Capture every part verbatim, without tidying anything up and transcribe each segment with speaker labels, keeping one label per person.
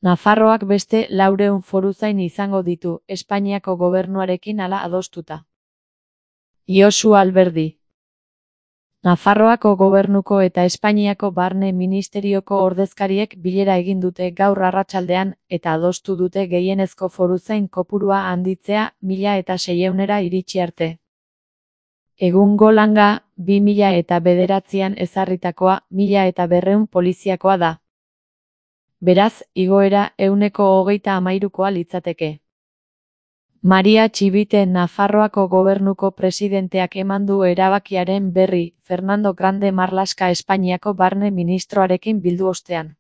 Speaker 1: Nafarroak beste laurehun foruzain izango ditu, Espainiako gobernuarekin hala adostuta. Josu Alberdi. Nafarroako gobernuko eta Espainiako barne ministerioko ordezkariek bilera egin dute gaur arratsaldean eta adostu dute gehienezko foruzain kopurua handitzea mila eta seiehunera iritsi arte. Egungo langa, bi mila eta bederatzian ezarritakoa, mila eta berrehun poliziakoa da. Beraz, igoera ehuneko hogeita hamairukoa litzateke. Maria Txibite Nafarroako gobernuko presidenteak eman du erabakiaren berri, Fernando Grande Marlaska Espainiako barne ministroarekin bildu ostean.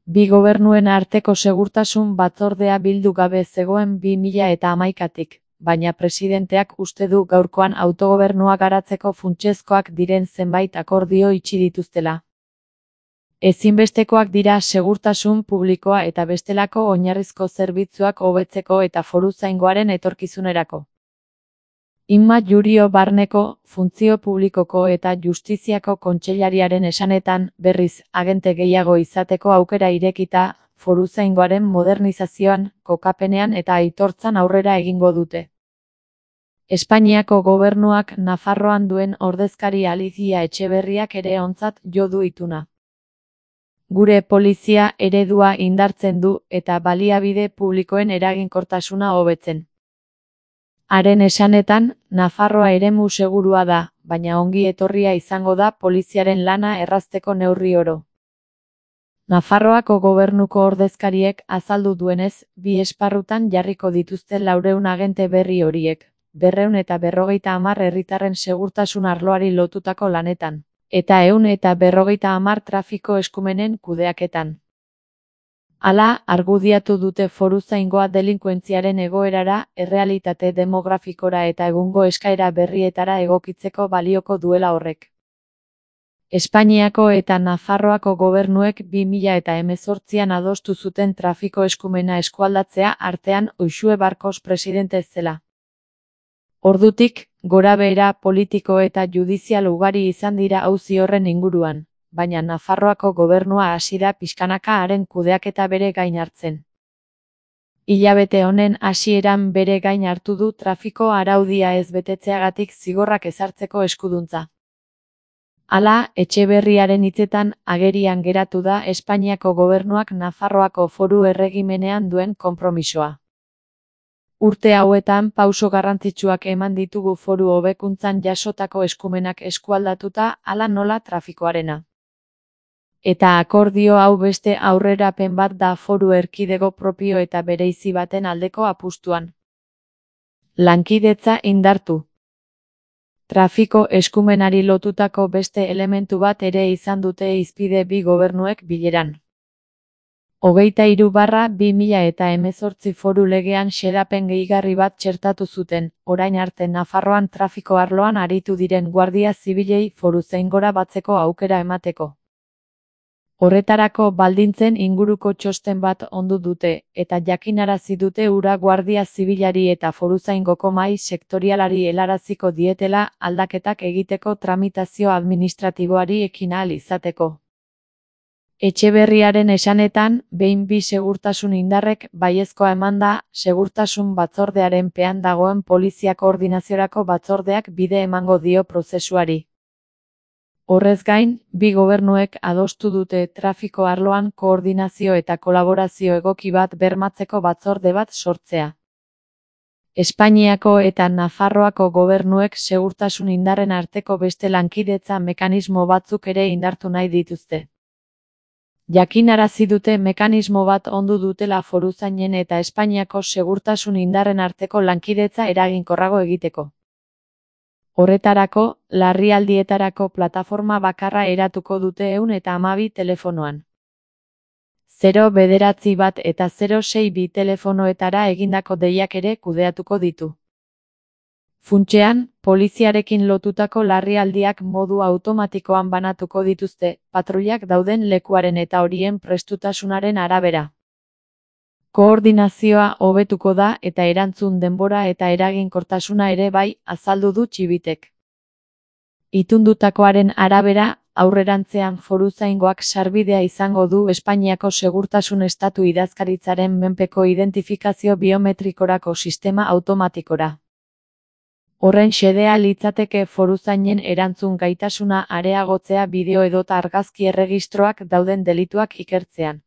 Speaker 1: Bi gobernuen arteko segurtasun batzordea bildu gabe zegoen bi mila eta hamaikatik, baina presidenteak uste du gaurkoan autogobernua garatzeko funtsezkoak diren zenbait akordio itxi dituztela. Ezinbestekoak dira segurtasun publikoa eta bestelako oinarrizko zerbitzuak hobetzeko eta foruzaingoaren etorkizunerako. Inma Jurio Barneko, Funtzio Publikoko eta Justiziako Kontseilariaren esanetan, berriz, agente gehiago izateko aukera irekita, foruzaingoaren modernizazioan, kokapenean eta aitortzan aurrera egingo dute. Espainiako gobernuak Nafarroan duen ordezkari Alicia Etxeberriak ere ontzat jo du ituna. Gure polizia eredua indartzen du eta baliabide publikoen eraginkortasuna hobetzen. Haren esanetan, Nafarroa eremu segurua da, baina ongi etorria izango da poliziaren lana errazteko neurri oro. Nafarroako gobernuko ordezkariek azaldu duenez, bi esparrutan jarriko dituzte laurehun agente berri horiek, berrehun eta berrogeita hamar herritarren segurtasun arloari lotutako lanetan, eta ehun eta berrogeita hamar trafiko eskumenen kudeaketan. Hala, argudiatu dute foruzaingoa delinkuentziaren egoerara, errealitate demografikora eta egungo eskaera berrietara egokitzeko balioko duela horrek. Espainiako eta Nafarroako gobernuek bi mila eta hemezortzian adostu zuten trafiko eskumena eskualdatzea artean Uxue Barkos presidente zela. Ordutik, gorabehera politiko eta judizial ugari izan dira auzi horren inguruan, baina Nafarroako gobernua hasi da pixkanaka haren kudeaketa bere gain hartzen. Hilabete honen hasieran bere gain hartu du trafiko araudia ez betetzeagatik zigorrak ezartzeko eskuduntza. Hala, Etxeberriaren hitzetan agerian geratu da Espainiako gobernuak Nafarroako foru erregimenean duen konpromisoa. Urte hauetan pauso garrantzitsuak eman ditugu foru hobekuntzan jasotako eskumenak eskualdatuta hala nola trafikoarena. Eta akordio hau beste aurrerapen bat da foru erkidego propio eta bereizi baten aldeko apustuan. Lankidetza indartu. Trafiko eskumenari lotutako beste elementu bat ere izan dute hizpide bi gobernuek bileran. Hogeita hiru barra bi mila eta hemezortzi foru legean xedapen gehigarri bat txertatu zuten, orain arte Nafarroan trafiko arloan aritu diren guardia zibilei foruzaingora batzeko aukera emateko. Horretarako baldintzen inguruko txosten bat ondu dute, eta jakinarazi dute hura guardia zibilari eta foruzaingoko mahai sektorialari helaraziko dietela aldaketak egiteko tramitazio administratiboari ekin ahal izateko. Etxeberriaren esanetan, behin bi segurtasun indarrek baiezkoa emanda, segurtasun batzordearen pean dagoen polizia koordinaziorako batzordeak bide emango dio prozesuari. Horrez gain, bi gobernuek adostu dute trafiko arloan koordinazio eta kolaborazio egoki bat bermatzeko batzorde bat sortzea. Espainiako eta Nafarroako gobernuek segurtasun indarren arteko beste lankidetza mekanismo batzuk ere indartu nahi dituzte. Jakinarazi dute mekanismo bat ondu dutela foruzainen eta Espainiako segurtasun indarren arteko lankidetza eraginkorrago egiteko. Horretarako, larrialdietarako plataforma bakarra eratuko dute ehun eta hamabi telefonoan. zero bederatzi bat eta zero sei bi telefonoetara egindako deiak ere kudeatuko ditu. Funtsean, poliziarekin lotutako larrialdiak modu automatikoan banatuko dituzte, patruilak dauden lekuaren eta horien prestutasunaren arabera. Koordinazioa hobetuko da eta erantzun denbora eta eraginkortasuna ere bai, azaldu du Txibitek. Itundutakoaren arabera, Aurrerantzean foruzaingoak sarbidea izango du Espainiako Segurtasun Estatu idazkaritzaren menpeko identifikazio biometrikorako sistema automatikora. Horren xedea litzateke foruzainen erantzun gaitasuna areagotzea bideo edota argazki erregistroak dauden delituak ikertzean.